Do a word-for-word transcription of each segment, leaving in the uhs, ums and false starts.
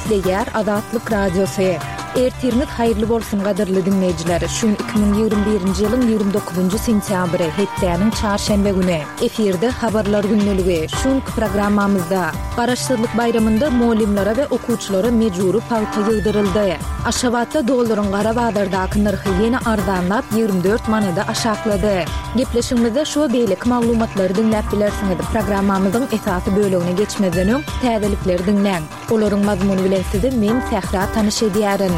Gepleýär Azatlyk Radiosy. Ertiriňiz haýyrly bolsun gadyrly diňleýjiler. Şu gün iki müň ýigrimi birinji ýylyň ýigrimi dokuzynjy sentýabry, hepdäniň çarşenbe güni. Efirde Habarlar gündeligi. Şu günki programmamyzda Garaşsyzlyk baýramynda mugallymlara we okuwçylara mejbury pagta ýygdyryldy. Aşgabatda dollaryň gara bazardaky nyrhy ýene arzanlap, ýigrimi dört manada aşaklady. Gepleşigimizde şu we beýleki maglumatlary diňläp bilersiňiz. Programmamyzyň esasy bölegine geçmezden öň, täzelikleri diňläň. Olaryň mazmuny bilen sizi men, Sähra, tanyş edýärin.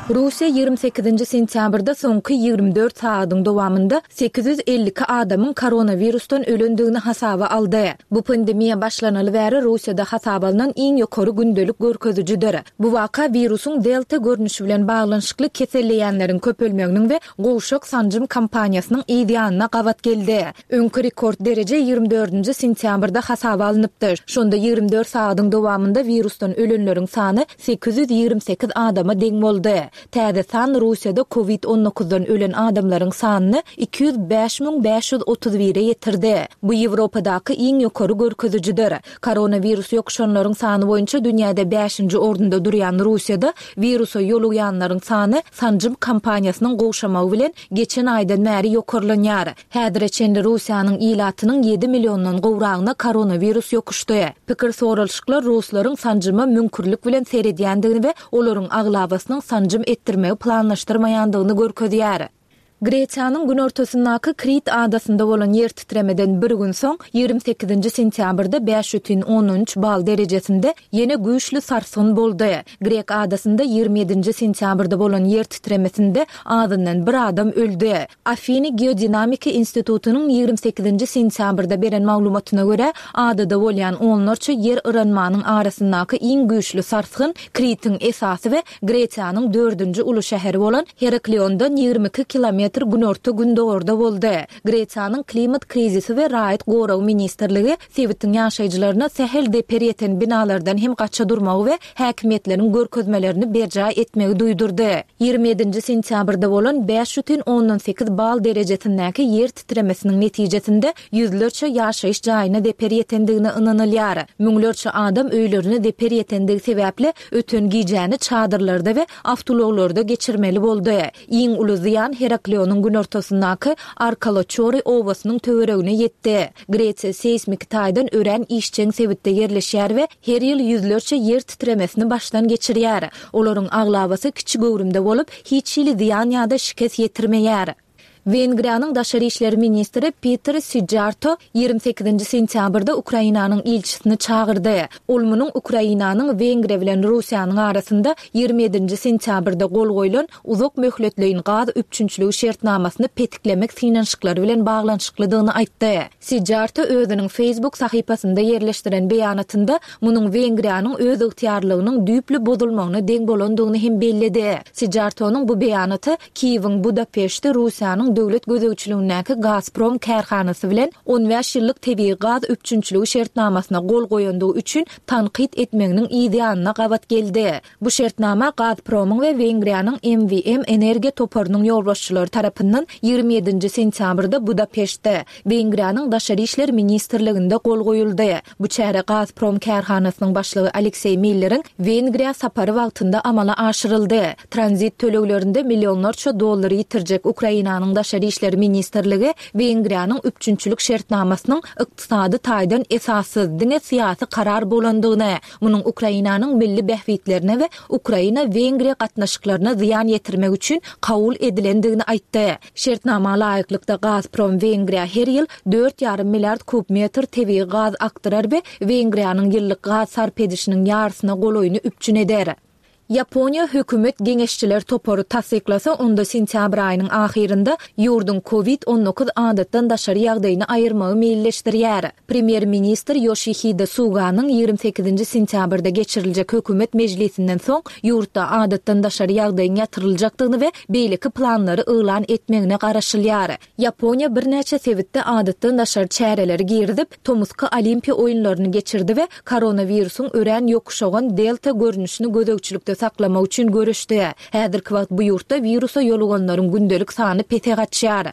Russiýa ýigrimi sekizinji sentýabrda soňky ýigrimi dört sagadyň dowamynda sekiz ýüz elli iki adamyň koronawirusdan ölendigini hasaba aldy. Bu pandemiýa başlanaly bäri Russiýada hasaba alnan iň ýokary gündelik görkezijidir. Bu waka wirusyň delta görnüşi bilen baglanyşykly keselleýänleriň köpelmeginiň we gowşak sanjym kampaniýasynyň yz ýanyna gabat geldi. Öňki rekord dereje ýigrimi dördünji sentýabrda hasaba alnypdy. Şonda ýigrimi dört sagadyň dowamynda wirusdan ölenleriň sany sekiz ýüz ýigrimi sekiz adama deň boldy. Täze san Russiýada kowid on dokuzdan ölen adamlaryň sanyny iki ýüz bäş müň bäş ýüz otuz bire ýetirdi. Bu Ýewropadaky iň ýokary görkezijidir. Koronawirus ýokuşanlaryň sany boýunça dünýäde bäşinji orunda durýan Russiýada wirusa ýolugýanlaryň sany sanjym kampaniýasynyň gowşamagy bilen geçen aýdan bäri ýokarlanýar. Häzire çenli Russiýanyň ilatynyň ýedi milliondan gowragyna koronawirus ýokuşdy. Pikir soralyşyklar ruslaryň sanjyma müňkürlik bilen seredýändigini we olaryň aglabasynyň sanjym etdirmegi planlaşdyrmaýandygyny görkezýär. Gresiýanyň günortasyndaky Krit adasynda bolan ýer titremeden bir gün soň, ýigrimi sekizinji sentýabrda bäş bütin ondan üç bal derejesinde ýene güýçli sarsgyn boldy. Grek adasynda ýigrimi ýedinji sentýabrda bolan ýer titremesinde azyndan bir adam öldi. Afiny geodinamika institutynyň ýigrimi sekizinji sentýabrda beren maglumatyna görä, adada bolýan onlarça ýer yranmanyň arasyndaky iň güýçli sarsgyn Kritiň esasy we Gresiýanyň dördünji uly şäheri bolan Herakliondan ýigrimi iki kilometr günorta-gündogarda boldy. Gresiýanyň Klimat krizisi we raýat goragy ministrligi sebitiň ýaşaýjylaryna sähel zeper ýeten binalardan hem gaça durmagy we häkimiýetleriň görkezmelerini berjaý etmegi duýdurdy. Ýigrimi ýedinji sentýabrda bolan bäş bütin ondan sekiz bal derejesindäki ýer titremesiniň netijesinde ýüzlerçe ýaşaýyş jaýyna zeper ýetendigine ynanylýar. Müňlerçe adam öýlerine zeper ýetendigi sebäpli öten gijäni çadyrlarda we awtoulaglarda geçirmeli boldy. Iň uly zyýan Heraklionyň günortasyndaky Arkaloçori obasynyň töweregine ýetdi. Gresiýa seýsmiki taýdan örän işjeň sebitde ýerleşýär we her ýyl ýüzlerçe ýer titremesini başdan geçirýär. Olaryň aglabasy kiçi göwrümde bolup, hiç hili zyýan ýa-da şikes ýetirmeýär. Wengriýanyň daşary işler ministri Peter Sijjarto ýigrimi sekizinji sentýabrda Ukrainanyň ilçisini çagyrdy. Ol munuň Ukrainanyň Wengriýa bilen Russiýanyň arasynda ýigrimi ýedinji sentýabrda gol goýlan uzak möhletleýin gaz üpjünçiligi şertnamasyny petiklemek synanyşyklary bilen baglanyşyklydygyny aýtdy. Sijjarto özüniň Facebook sahypasynda ýerleşdiren beýanatynda munuň Wengriýanyň özygtyýarlygynyň düýpli bozulmagyna deň bolandygyny hem belledi. Sijjartonyň bu beýanaty Kiýewiň Budapeştde Russiýanyň döwlet gözegçiligindäki Gazprom kärhanasy bilen on bäş ýyllyk tebigy gaz üpjünçiligi şertnamasyna gol goýandygy üçin tankyt etmeginiň yz ýanyna gabat geldi. Bu şertnama Gazpromyň we Wengriýanyň M W M energiýa toparynyň ýolbaşçylary tarapyndan ýigrimi ýedinji sentýabrda Budapeştde, Wengriýanyň Daşary işler ministrliginde gol goýuldy. Bu çäre Gazprom kärhanasynyň başlygy Alekseý Milleriň Wengriýa sapary wagtynda amala aşyryldy. Tranzit töleglerinde millionlarça dollar ýitirjek Ukrainanyň Daşary işler ministrligi Wengriýanyň üpjünçilik şertnamasynyň ykdysady taýdan esassyz, diňe syýasy karar bolandygyny, munuň Ukrainanyň milli bähbitlerine we Ukraina-Wengriýa gatnaşyklaryna zyýan ýetirmek üçin kabul edilendigini aýtdy. Şertnama laýyklykda Gazprom Wengriýa her ýyl dört ýarym milliard kub metr tebigy gaz akdyrar we Wengriýanyň ýyllyk gaz sarp edişiniň ýarysyna golaýyny üpjün eder. Ýaponiýa hökümet geňeşçiler topary tassyklasa, onda sentýabr aýynyň ahyrynda ýurduň kowid on dokuz adatdan daşary ýagdaýyny aýyrmagy meýilleşdirýär. Premýer-ministr Ýoşihide Suganyň ýigrimi sekizinji sentýabrda geçiriljek hökümet mejlisinden soň ýurtda adatdan daşary ýagdaýyň ýatyryljakdygyny we beýleki planlary yglan etmegine garaşylýar. Ýaponiýa birnäçe sebitde adatdan daşary çäreleri girizip, tomusky Olimpiýa oýunlaryny geçirdi we koronawirusyň örän ýokuşagan delta görnüşini gözegçilikde saklamak üçin göreşdi. Häzirki wagt bu ýurtda wirusa ýoluganlaryň gündelik sany pese gaçýar.